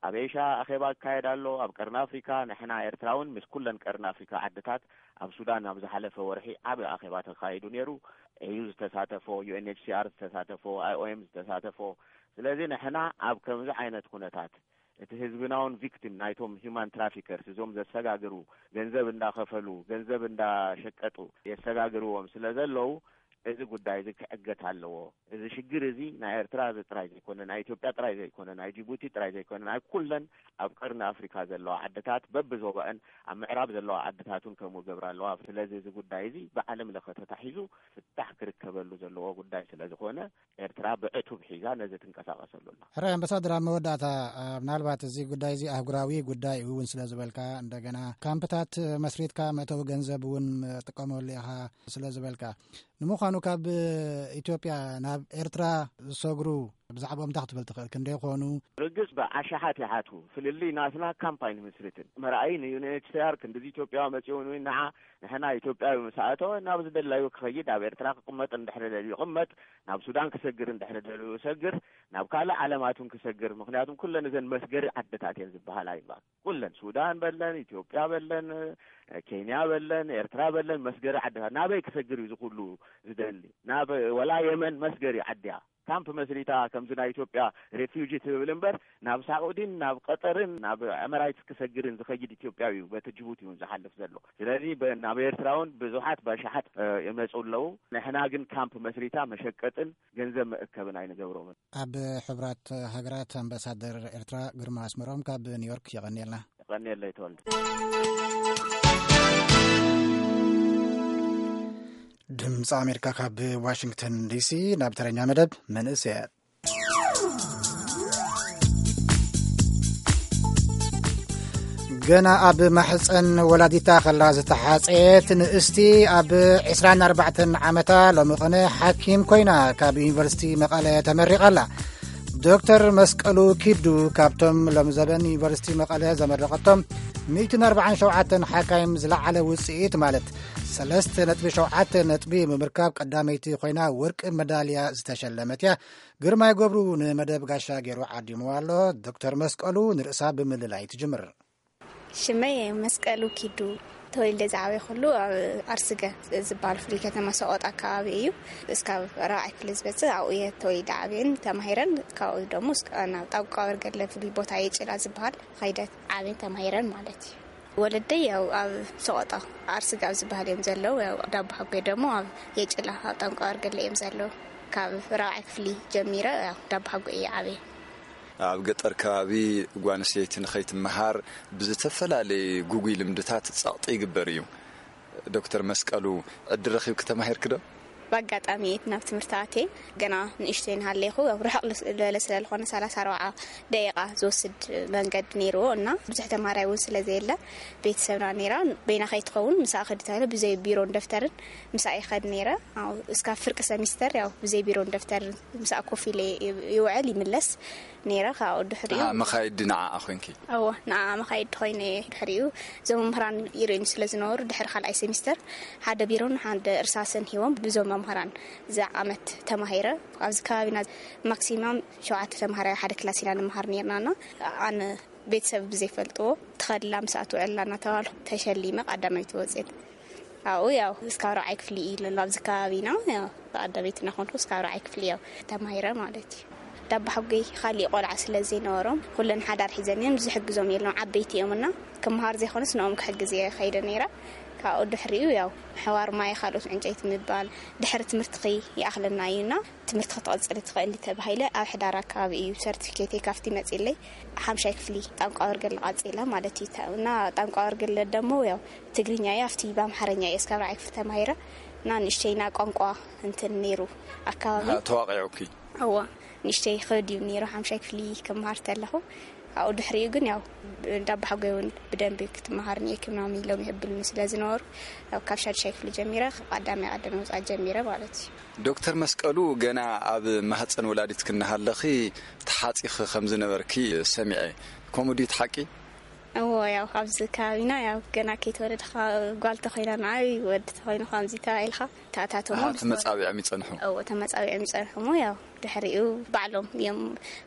ኣብ ኤሽያ ኣኼባ ክካየድ ኣሎ። ኣብ ቀርኒ ኣፍሪካ ንሕና ኤርትራ እውን ምስ ኩለን ቀርኒ ኣፍሪካ ዓድታት ኣብ ሱዳን ኣብ ዝሓለፈ ወርሒ ዓቢ ኣኼባ ተካይዱ ነይሩ። ኤዩ ዝተሳተፎ፣ ዩ ኤን ኤች ሲ ኣር ዝተሳተፎ፣ ኣይ ኦ ኤም ዝተሳተፎ። ስለዚ ንሕና ኣብ ከምዚ ዓይነት ኩነታት እቲ ህዝብና እውን ቪክቲም ናይቶም ሂማን ትራፊከርስ፣ እዞም ዘሰጋግሩ፣ ገንዘብ እንዳኸፈሉ ገንዘብ እንዳሸቀጡ የሰጋግርዎም ስለ ዘለዉ፣ እዚ ጉዳይ እዚ ክዕገት ኣለዎ። እዚ ሽግር እዚ ናይ ኤርትራ እዚ ጥራይ ዘይኮነ፣ ናይ ኢትዮጵያ ጥራይ ዘይኮነ፣ ናይ ጅቡቲ ጥራይ ዘይኮነ፣ ናይ ኩለን ኣብ ቀርኒ ኣፍሪካ ዘለዋ ዓድታት በብዞባአን ኣብ ምዕራብ ዘለዋ ዓድታት እውን ከምኡ ገብራ ኣለዋ። ስለዚ እዚ ጉዳይ እዚ ብዓለም ለኸ ተታሒዙ ፍታሕ ክርከበሉ ዘለዎ ጉዳይ ስለ ዝኾነ፣ ኤርትራ ብዕቱብ ሒዛ ነዚ ትንቀሳቐሰሉ ኣላ። ሕራይ ኣምባሳደር፣ ኣብ መወዳእታ፣ ምናልባት እዚ ጉዳይ እዚ ኣህጉራዊ ጉዳይ እውን ስለ ዝበልካ፣ እንደገና ካምፕታት መስሪትካ መእተዊ ገንዘብ እውን ጥቀመሉ ኢኻ ስለ ዝበልካ፣ ንምዃኑ ካብ ኢትዮጵያ ናብ ኤርትራ ዝሰግሩ ብዛዕባኦም እንታይ ክትብል ትኽእል? ክንደይ ይኾኑ? ርግጽ ብኣሽሓት ይሓቱ። ፍልልይ ናትና ካምፕ ኣይንምስርትን። መርኣይ ን ዩ ኤን ኤች ሲ ኣር ክንድዚ ኢትዮጵያ መጺኡ ንዓ ንሕና ኢትዮጵያዊ ምስ ኣተወ ናብ ዝደላዩ ክኸይድ፣ ኣብ ኤርትራ ክቕመጥ እንድሕሪ ደልዩ ይቕመጥ፣ ናብ ሱዳን ክሰግር እንድሕሪ ደልዩ ይሰግር፣ ናብ ካልእ ዓለማት እውን ክሰግር። ምኽንያቱም ኩለን እዘን መስገሪ ዓድታት እየን ዝበሃላ እየን። ኩለን ሱዳን በለን፣ ኢትዮጵያ በለን፣ ኬንያ በለን፣ ኤርትራ በለን መስገሪ ዓድታት ናበይ ክሰግር እዩ እዚ ኩሉ ዝደሊ? ናብ ወላ የመን መስገሪ ዓዲ እያ። ካምፕ መስሪታ ከምዚ ናይ ኢትዮጵያ ሬፊውጂ ትብል እምበር ናብ ሳዑዲን ናብ ቀጠርን ናብ ኤመራይትስ ክሰግርን ዝኸይድ ኢትዮጵያዊ እዩ በቲ ጅቡቲ እውን ዝሓልፍ ዘሎ። ስለዚ በ- ናብ ኤርትራ እውን ብዙሓት በሽሓት እ፣ ይመፁ ኣለዉ። ንሕና ግን ካምፕ መስሪታ መሸቀጥን ገንዘብ መእከብን ኣይንገብሮምን። ኣብ ሕቡራት ሃገራት ኣምባሳደር ኤርትራ ግርማ ኣስመሮም ካብ ኒውዮርክ፣ የቐንየልና። የቐንየለይ ተወልደ። ድምፂ ኣሜሪካ ካብ ዋሽንግተን ዲሲ። ናብ ተረኛ መደብ መንእሰያት። ገና ኣብ ማሕፀን ወላዲታ ከላ ዝተሓፀየት ንእስቲ ኣብ ዕስራን ኣርባዕተን ዓመታ ሎሚ ቅነ ሓኪም ኮይና ካብ ዩኒቨርሲቲ መቐለ ተመሪቓ ኣላ። ዶክተር መስቀሉ ኪዱ ካብቶም ሎሚ ዘበን ዩኒቨርሲቲ መቐለ ዘመረቐቶም ሚእትን ኣርባዓን ሸውዓተን ሓካይም ዝለዓለ ውፅኢት ማለት ሰለስተ ነጥቢ ሸውዓተ ነጥቢ ብምርካብ ቀዳመይቲ ኮይና ወርቂ መዳልያ ዝተሸለመት እያ። ግርማይ ገብሩ ንመደብ ጋሻ ገይሩ ዓዲምዋ ኣሎ። ዶክተር መስቀሉ ንርእሳ ብምልላይ ትጅምር። ሽመይ መስቀሉ ኪዱ። ተወልደ ዝዓበየ ኩሉ ኣብ ኣርስገ ዝበሃል ፍሉይ ከተማ ሰቆጣ ኣከባቢ እዩ። እስካብ ራብዓይ ክፍሊ ዝበፅእ ኣብኡ እየ ተወሊደ ዓብየን ተማሂረን። ካብኡ ደሞ እስከ ናብ ጣብቋ በርገለ ፍሉይ ቦታ የጭላ ዝበሃል ኸይደ ዓብየን ተማሂረን ማለት እዩ። ወለደይ ያው ኣብ ሰቆጣ ኣርስገ ኣብ ዝበሃል እዮም ዘለዉ። ያው ዳቦ ሓጎይ ደሞ ኣብ የጭላ ኣብ ጣብቋ በርገለ እዮም ዘለዉ። ካብ ራብዓይ ክፍሊ ጀሚረ ያው ዳቦ ሓጎይ እየ ዓብየ። ኣብ ገጠር ከባቢ ጓል ኣንስተይቲ ንኸይትመሃር ብዝተፈላለየ ጉጉይ ልምድታት ጸቕጢ ይግበር እዩ። ዶክተር መስቀሉ፣ ዕድል ረኺብኪ ተማሂርኪ ዶ? ብኣጋጣሚ እየ ናብ ትምህርቲ ኣትየ። ገና ንእሽተይ እናሃለኹ፣ ኣብ ርሕቕ ዝበለ ስለ ዝኾነ፣ ሰላሳ ኣርባዓ ደቂቓ ዝወስድ መንገዲ ነይርዎ እና ብዙሕ ተማሃራይ እውን ስለ ዘየለ፣ ቤተሰብና ነይራ። በይና ከይትኸውን፣ ምሳኣ ከዲ ተባሂለ፣ ብዘይ ቢሮን ደፍተርን ምሳኣ ይኸድ ነይረ። ኣብ እስካብ ፍርቂ ሰሚስተር፣ ያው፣ ብዘይ ቢሮን ደፍተርን ምሳኣ ኮፍ ኢለ ይውዕል ይምለስ ነይረ። ካብኡ ድሕሪኡ፣ ኣሃ፣ መኻይዲ ንዓኣ ኮይንኪ? እወ፣ ንዓኣ መኻይዲ ኮይነ እየ። ድሕሪኡ፣ እዞም መምህራን ይርእዩኒ ስለ ዝነበሩ፣ ድሕሪ ካልኣይ ሰሚስተር ሓደ ቢሮን ሓደ እርሳስን ሂቦም፣ ብዞም መምህራን እዛ ዓመት ተማሂረ። ኣብዚ ከባቢና ማክሲማም ሸውዓተ ተምሃራይ ሓደ ክላስ ኢና ንመሃር ነርና። እና ኣነ፣ ቤተሰብ ብዘይፈልጥዎ፣ ትኸድላ፣ ምስኣ ትውዕላ እናተባልኩ ተሸሊመ ቀዳማይቲ ወፅኤት። ኣብኡ፣ ያው፣ እስካብ ራብዓይ ክፍሊ እዩ ዘሎ ኣብዚ ከባቢና። ያው፣ ቀዳመይቲ እናኾንኩ እስካብ ራብዓይ ክፍሊ፣ ያው፣ ተማሂረ ማለት እዩ። ዳባ ሓጎይ ካሊእ ቆልዓ ስለ ዘይነበሮም፣ ኩለን ሓዳር ሒዘን እየን፣ ዝሕግዞም የለን፣ ዓበይቲ እዮም። እና ክመሃር ዘይኮነስ ንኦም ክሕግዝ እየ ከይደ ነይረ። ካብኡ ድሕሪኡ፣ ያው፣ ምሕዋር ማይ፣ ካልኦት ዕንጨይቲ ምባል፣ ድሕሪ ትምህርትኺ ይኣኽለና እዩ። እና ትምህርቲ ክትቐጽሊ ትኽእሊ ተባሂለ፣ ኣብ ሕዳር ኣከባቢ እዩ ሰርቲፊኬተይ ካብቲ መጺለይ። ሓምሻይ ክፍሊ ጣንቋ ወርገለ ቀጺለ ማለት እዩ። እና ጣንቋ ወርገለ ደሞ፣ ያው፣ ትግርኛ እዩ፣ ኣብቲ ብኣምሓርኛ እዩ እስካብ ራብዓይ ክፍሊ ተማሂረ። እና ንእሽተይ ናይ ቋንቋ እንትን ነይሩ ኣከባቢ። ኣሃ፣ ተዋቒዑኪ? እዋ፣ ንእሽተይ ይኸብድ እዩ ነይሩ፣ ሓምሻይ ክፍሊ ክመሃር ተለኹ። ኣብኡ ድሕሪኡ ግን፣ ያው፣ እንዳባሓጎይ እውን ብደንቢ ክትመሃር እኒኤኪ ምናምን ኢሎም ይህብሉኒ ስለ ዝነበሩ፣ ያው፣ ካብ ሻድሻይ ክፍሊ ጀሚረ፣ ቀዳማይ ቀዳማይ ምውፃእ ጀሚረ ማለት እዩ። ዶክተር መስቀሉ፣ ገና ኣብ ማህፀን ወላዲትኪ እናሃለኺ ተሓፂኺ ከም ዝነበርኪ ሰሚዐ። ከምኡ ድዩ፣ እቲ ሓቂ? እዎ፣ ያው፣ ኣብዚ ከባቢና፣ ያው፣ ገና ከይተወለድኻ ጓል ተኾይና ንዓይ፣ ወዲ ተኾይኑ ከምዚ ተባሂልካ ተኣታተሞ ኣሃ፣ ተመጻቢዖም ይጸንሑ። እዎ፣ ተመጻቢዖም ይጸንሑ እሞ፣ ያው፣ ድሕሪኡ ባዕሎም እዮም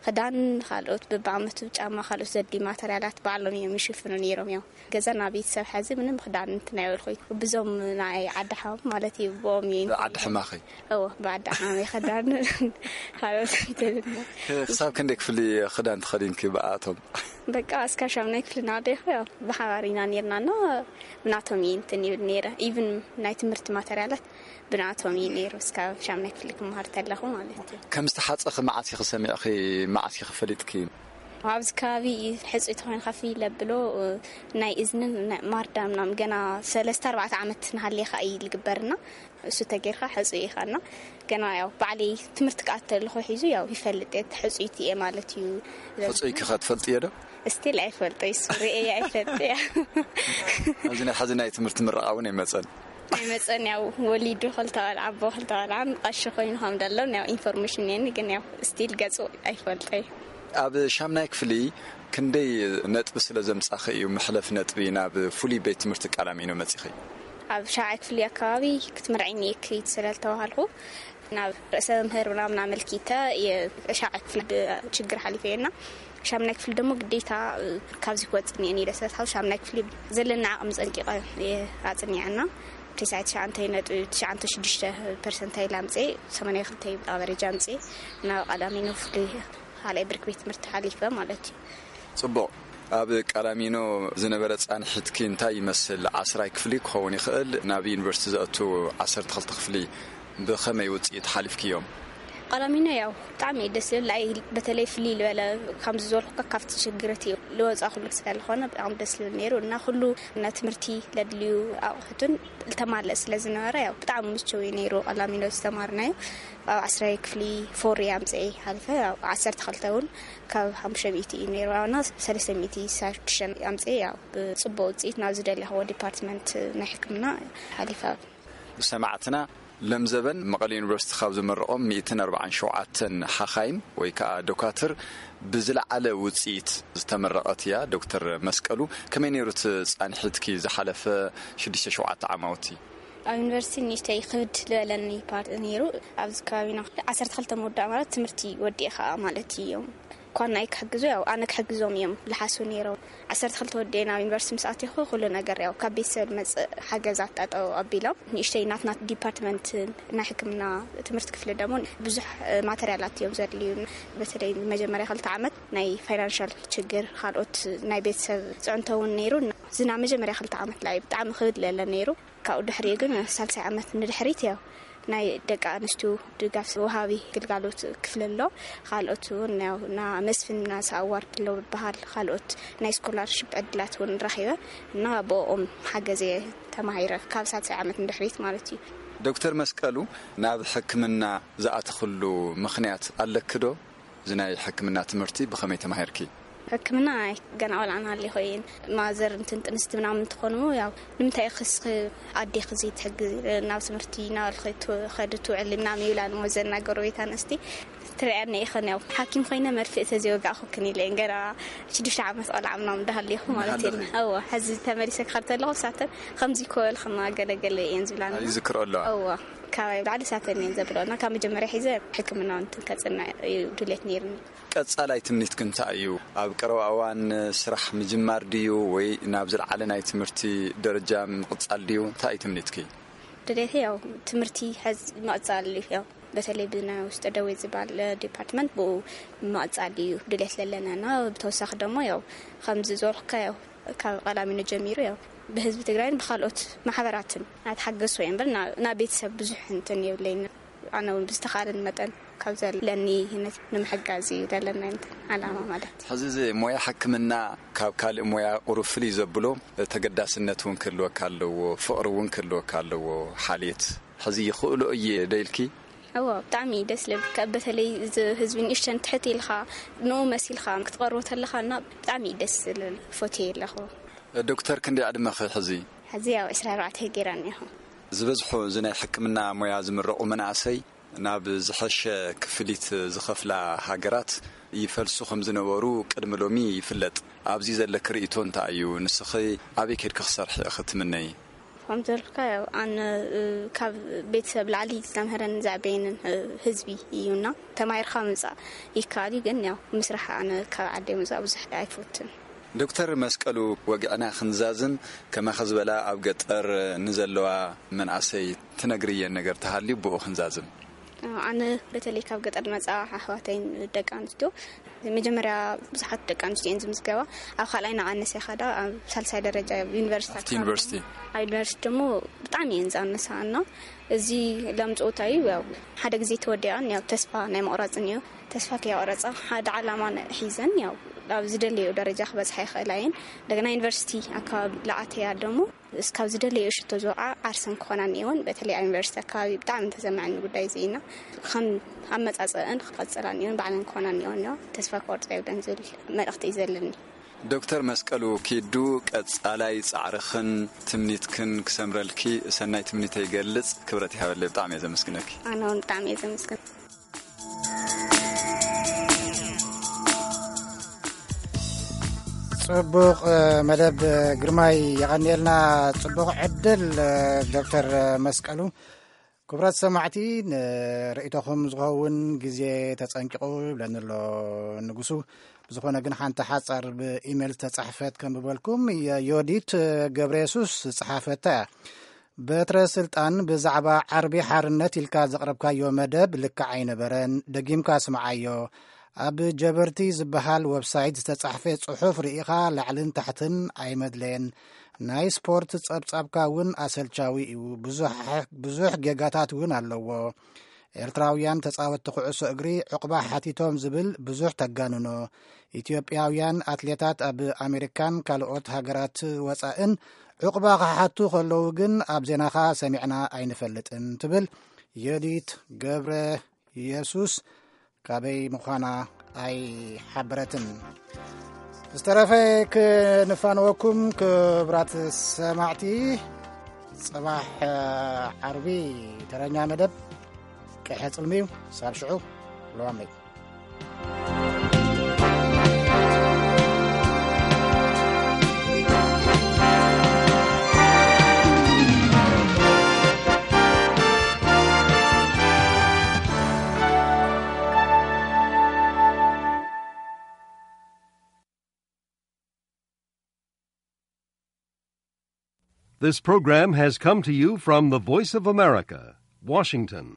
ክዳን፣ ካልኦት በብዓመቱ ጫማ፣ ካልኦት ዘድልዩ ማተርያላት ባዕሎም እዮም ይሽፍኑ ነይሮም። ያው፣ ገዛና ቤተሰብ ሕዚ ምንም ክዳን እንትን ኣይበልኩይ። ብዞም ናይ ዓዲ ሓም ማለት እዩ፣ ብኦም እዩ። ዓዲ ሕማኸይ? እዎ፣ ብዓዲ ሓመይ ክዳን፣ ካልኦት እንትን። ክሳብ ክንደይ ክፍሊ ክዳን ተኸዲንኪ ብኣቶም? በቃ፣ እስካብ ሻምናይ ክፍሊ እናወደይኩ፣ ያው፣ ብሓባር ኢና ነይርና እና ብናቶም እየ እንትን ይብል ነይረ። ኢቭን ናይ ትምህርቲ ማተርያላት ብናቶም እዩ ነይሩ፣ እስካብ ሻምናይ ክፍሊ ክመሃር ተለኹ ማለት እዩ። ከም ዝተሓጸኺ መዓስ ኢኺ ሰሚዕኺ፣ መዓስ ኢኺ ፈሊጥኪ? ኣብዚ ከባቢ ሕጹይ ተኾይንካ ፍይ ለብሎ፣ ናይ እዝንን ናይ ማርዳ ምናምን ገና ሰለስተ ኣርባዕተ ዓመት እናሃለኻ እዩ ዝግበርና። እሱ ተጌርካ ሕጹይ ኢኻ እና ገና ያው ባዕለይ ትምህርቲ ክኣቱ ተለኹ ሒዙ ያው ይፈልጥ እየ፣ ሕጹይቲ እየ ማለት እዩ። ሕጹይኪ ኸ ትፈልጥዮ ዶ? ስቲል ኣይፈልጦ፣ እሱ ርእየ ኣይፈልጥ እያ። ኣብዚ ናይ ሕዚ ናይ ትምህርቲ ምረቓ እውን ኣይመጸን። ኣይመጸን፣ ያው ወሊዱ ክልተ ቆልዓ፣ ኣቦ ክልተ ቆልዓ፣ ቀሺ ኮይኑ ከም ደሎ ያው ኢንፎርሜሽን እኔኒ፣ ግን ያው ስቲል ገጹ ኣይፈልጦ እዩ። ኣብ ሻምናይ ክፍሊ ክንደይ ነጥቢ ስለ ዘምጻኺ እዩ መሕለፊ ነጥቢ ናብ ፍሉይ ቤት ትምህርቲ ቃላሚኖ መጺኺ? ኣብ ሻብዓይ ክፍሊ ኣከባቢ ክትምርዓይኒ እየ ክይድ ስለ ዝተባሃልኩ፣ ናብ ርእሰ መምህር ምናምን ኣመልኪተ እየ ሻብዓይ ክፍሊ ብችግር ሓሊፈ እየ እና ሻምናይ ክፍሊ ደሞ ግዴታ ካብዚ ክወጽእ እኒኤኒ ኢለ ስለ ዝሓሰብኩ፣ ሻምናይ ክፍሊ ዘለና ዓቕሚ ጸንቂቐ እየ ኣጽኒዐ እና ተስዓይ ትሽዓተ ነጥቢ ትሽዓተ ሽዱሽተ ፐርሰንታይል ኣምጽኤ፣ ሰማንያ ክልተ ኣቨሬጅ ኣምጽኤ፣ ናብ ቀዳሚኖ ፍሉይ ካልኣይ ብርኪ ቤት ትምህርቲ ሓሊፈ ማለት እዩ። ጽቡቕ። ኣብ ቀላሚኖ ዝነበረ ጻንሒትኪ እንታይ ይመስል? ዓስራይ ክፍሊ ክኸውን ይኽእል፣ ናብ ዩኒቨርሲቲ ዘእቱ ዓሰርተ ክልተ ክፍሊ ብኸመይ ውጽኢት ሓሊፍክዮም? ቀላሚኖ ያው ብጣዕሚ እዩ ደስ ዝብል። ኣይ፣ በተለይ ፍልይ ዝበለ፣ ከምዚ ዝበልኩካ፣ ካብቲ ሽግር እቲ ዝወጻ ኩሉ ስለ ዝኾነ ብጣዕሚ ደስ ዝብል ነይሩ እና ኩሉ ናይ ትምህርቲ ለድልዩ ኣቑሑትን ዝተማልአ ስለ ዝነበረ ያው ብጣዕሚ ምችው እዩ ነይሩ ቀላሚኖ ዝተማርናዮ። ኣብ ዓስራይ ክፍሊ ፎር ኣምጽኤ ሓሊፈ፣ ኣብ ዓሰርተ ክልተ እውን ካብ ሓሙሽተ ሚእቲ እዩ ነይሩ፣ እና ሰለስተ ሚእቲ ሳሽዱሽተ ኣምጽኤ፣ ያው ብጽቡቕ ውጽኢት ናብ ዝደለኽዎ ዲፓርትመንት ናይ ሕክምና ሓሊፈ። ሰማዕትና፣ ለምዘበን መቐለ ዩኒቨርሲቲ ካብ ዝመረቖም ሚእትን ኣርባዓን ሸውዓተን ሓኻይም ወይ ከዓ ዶካትር ብዝለዓለ ውጽኢት ዝተመረቐት እያ። ዶክተር መስቀሉ፣ ከመይ ነይሩ እቲ ጻንሒትኪ ዝሓለፈ ሽዱሽተ ሸውዓተ ዓማውቲ? ኣብ ዩኒቨርሲቲ ንእሽተይ ክብድ ዝበለኒ ፓርት ነይሩ። ኣብዚ ከባቢና ዓሰርተ ክልተ ምውዳእ ማለት ትምህርቲ ወዲእኻ ማለት እዩ። እኳ ናይ ክሕግዙ፣ ያው ኣነ ክሕግዞም እዮም ልሓሱ ነይሮም። ዓሰርተ ክልተ ወዲኤ ናብ ዩኒቨርሲቲ ምስ ኣቲኹ ኩሉ ነገር ያው ካብ ቤተሰብ ዝመጽእ ሓገዛት ጠጠው ኣቢሎም፣ ንእሽተይ ናትና ዲፓርትመንት ናይ ሕክምና ትምህርቲ ክፍሊ ደሞ ብዙሕ ማተርያላት እዮም ዘድልዩ። በተለይ መጀመርያ ክልተ ዓመት ናይ ፋይናንሻል ችግር፣ ካልኦት ናይ ቤተሰብ ጽዕንቶ እውን ነይሩ። ዝና መጀመርያ ክልተ ዓመት ላይ ብጣዕሚ ክብድ ለለ ነይሩ። ካብኡ ድሕሪኡ ግን ሳልሳይ ዓመት ንድሕሪት ያው ናይ ደቂ ኣንስትዮ ድጋፍ ወሃቢ ግልጋሎት ክፍሊ ኣሎ። ካልኦት እውን ያው ና መስፍን ናሳ ኣዋርድ ኣሎ ዝበሃል ካልኦት ናይ ስኮላርሽፕ ዕድላት እውን ረኺበ እና ብኦም ሓገዘ ተማሂረ ካብ ሳልሳይ ዓመት ንድሕሪት ማለት እዩ። ዶክተር መስቀሉ፣ ናብ ሕክምና ዝኣተኽሉ ምኽንያት ኣለኪ ዶ? እዚ ናይ ሕክምና ትምህርቲ ብኸመይ ተማሂርኪ? ሕክምና ገና ቆልዓ ናሃለኹ እየ። ማዘር እንትን ጥንስቲ ምናምን እንትኾኑ ያው ንምንታይ ክስኺ ኣዴኺ ዘይትሕግዚ ናብ ትምህርቲ እናበልኺ ትኸዲ ትውዕሊ ምናምን ይብላኒ እሞ ዘናገሩ ቤት ኣንስቲ ትሪኣኒ ኢኽን ያው ሓኪም ኮይነ መርፍእ ተዘይወጋእኹክን ኢለ እየን ገና ሽዱሽተ ዓመት ቆልዓ ምናምን እንዳሃለኹ ማለት እየ። እወ ሕዚ ተመሊሰ ክኸድ ተለኹ ሳተን ከምዚ ይኮበልኽና ገለገለ እየን ዝብላኒ። ይዝክሮ ኣለዋ። እወ ካባይ ብላዕሊ ሳተን እየን ዘብለና ካብ መጀመርያ ሒዘ ሕክምና እንትን ከፅንዕ እዩ ድሌት ነይርኒ። ቀጻላይ ትምኒትኪ እንታይ እዩ? ኣብ ቀረባ እዋን ስራሕ ምጅማር ድዩ ወይ ናብ ዝለዓለ ናይ ትምህርቲ ደረጃ ምቕጻል ድዩ? እንታይ እዩ ትምኒትኪ? ድሌተይ ያው ትምህርቲ ሕዚ ምቕጻል እዩ። ያው በተለይ ብናይ ውስጠ ደዌ ዝበሃል ዲፓርትመንት ብኡ ምቕጻል እዩ ድሌት ለለና እና ብተወሳኺ ደሞ ያው ከምዚ ዝበልኩካ ያው ካብ ቀላሚኖ ጀሚሩ ያው ብህዝቢ ትግራይን ብካልኦት ማሕበራትን ኣትሓገዝኩ እየ እምበር ናብ ቤተሰብ ብዙሕ እንትን የብለይን። ኣነ እውን ብዝተኻእለኒ መጠን ካብ ዘለኒ ነት ንምሕጋዝ እዩ ዘለና እንትን ዓላማ ማለት እዩ። ሕዚ እዚ ሞያ ሕክምና ካብ ካልእ ሞያ ቁሩብ ፍልይ ዘብሎ ተገዳስነት እውን ክህልወካ ኣለዎ፣ ፍቕሪ እውን ክህልወካ ኣለዎ። ሓልየት ሕዚ ይኽእሎ እየ ዶ ኢልኪ? እዎ ብጣዕሚ እዩ ደስ ልብል። በተለይ እዚ ህዝቢ ንእሽተን ትሕት ኢልካ ንኡ መሲልካ ክትቐርቦ ተለካ እና ብጣዕሚ እዩ ደስ ዝብል። ፎትየ ኣለኹ። ዶክተር ክንደይ ዕድመኺ ሕዚ? ሕዚ ያው ዕስራ ኣርባዕተ ገይረ እኒኹ። ዝበዝሑ እዚ ናይ ሕክምና ሞያ ዝምረቑ መናእሰይ ናብ ዝሐሸ ክፍሊት ዝኸፍላ ሃገራት ይፈልሱ ከም ዝነበሩ ቅድሚ ሎሚ ይፍለጥ። ኣብዚ ዘለኪ ርእይቶ እንታይ እዩ? ንስኺ ኣበይ ከድኪ ክሰርሒ ኢኺ ትምነዪ? ከም ዘልካ ያው ኣነ ካብ ቤተሰብ ላዕሊ ዝተምሀረን ዘዕበየንን ህዝቢ እዩና ተማሂርካ ምፃእ ይከኣል እዩ ግን ያው ምስራሕ ኣነ ካብ ዓደይ ምፃእ ብዙሕ ኣይፈትን። ዶክተር መስቀሉ፣ ወግዕና ክንዛዝም፣ ከማኺ ዝበላ ኣብ ገጠር ንዘለዋ መናእሰይ ትነግርየን ነገር ተሃልዩ ብኡ ክንዛዝም። ኣነ በተለይ ካብ ገጠር ዝመፃ ኣሕዋተይን ደቂ ኣንስትዮ መጀመርያ ብዙሓት ደቂ ኣንስትዮ እየን ዝምዝገባ። ኣብ ካልኣይ ናቐነሰ ይኸዳ ኣብ ሳልሳይ ደረጃ ዩኒቨርሲቲ ኣብቲ ዩኒቨርሲቲ። ኣብ ዩኒቨርሲቲ ደሞ ብጣዕሚ እየን ዝኣነሳ እና እዚ ለምፅኡ እንታይ እዩ ያው ሓደ ግዜ ተወዲኣን ያው ተስፋ ናይ መቑረፅን እዩ። ተስፋ ከየቑረፃ ሓደ ዓላማ ሒዘን ያው ኣብ ዝደለዮ ደረጃ ክበፅሓ ይኽእላ እየን። እንደገና ዩኒቨርሲቲ ኣካባቢ ለኣተያ ደሞ እስካብ ዝደለዮ ሽቶ ዝወዓ ዓርሰን ክኾና እኒኦን። በተለይ ኣብ ዩኒቨርሲቲ ኣካባቢ ብጣዕሚ ተሰማዕኒ ጉዳይ እዚ ኢና ከም ኣመፃፀእን ክቐፅላ እኒኦን ባዕለን ክኾና እኒኦን እዮ ተስፋ ክቆርፃ የብለን ዝብል መልእኽቲ እዩ ዘለኒ። ዶክተር መስቀሉ ኪዱ ቀጻላይ ጻዕርኽን ትምኒትክን ክሰምረልኪ ሰናይ ትምኒተይ ይገልጽ። ክብረት ይሃበለይ። ብጣዕሚ እየ ዘመስግነኪ። ኣነ እውን ብጣዕሚ እየ ዘመስግን። ጽቡቕ መደብ ግርማይ፣ የቐንየልና። ጽቡቕ ዕድል ዶክተር መስቀሉ። ክቡራት ሰማዕቲ፣ ንርእይቶኹም ዝኸውን ግዜ ተጸንቂቑ ይብለኒ ኣሎ ንጉሱ። ብዝኾነ ግን ሓንቲ ሓጻር ብኢሜል ዝተጻሕፈት ከንብበልኩም። ዮዲት ገብረ የሱስ ዝጸሓፈታ እያ። በትረ ስልጣን ብዛዕባ ዓርቢ ሓርነት ኢልካ ዘቕረብካዮ መደብ ልክዕ ኣይነበረን። ደጊምካ ስምዓዮ። ኣብ ጀበርቲ ዝበሃል ወብሳይት ዝተጻሕፈ ጽሑፍ ርኢኻ ላዕልን ታሕትን ኣይመድለየን። ናይ ስፖርት ጸብጻብካ እውን ኣሰልቻዊ እዩ። ብዙሕ ጌጋታት እውን ኣለዎ። ኤርትራውያን ተጻወትቲ ኩዕሶ እግሪ ዑቕባ ሓቲቶም ዝብል ብዙሕ ተጋንኖ። ኢትዮጵያውያን ኣትሌታት ኣብ ኣሜሪካን ካልኦት ሃገራት ወጻእን ዑቕባ ክሓቱ ከለዉ ግን ኣብ ዜናኻ ሰሚዕና ኣይንፈልጥን ትብል ዮዲት ገብረ የሱስ ካበይ ምዃና ኣይሓበረትን። ዝተረፈ ክንፋነወኩም ክብራት ሰማዕቲ፣ ጽባሕ ዓርቢ ተረኛ መደብ ቀሐ ጽልሚ እዩ። ሳብ ሽዑ ለዋመይ። This program has come to you from the Voice of America, Washington.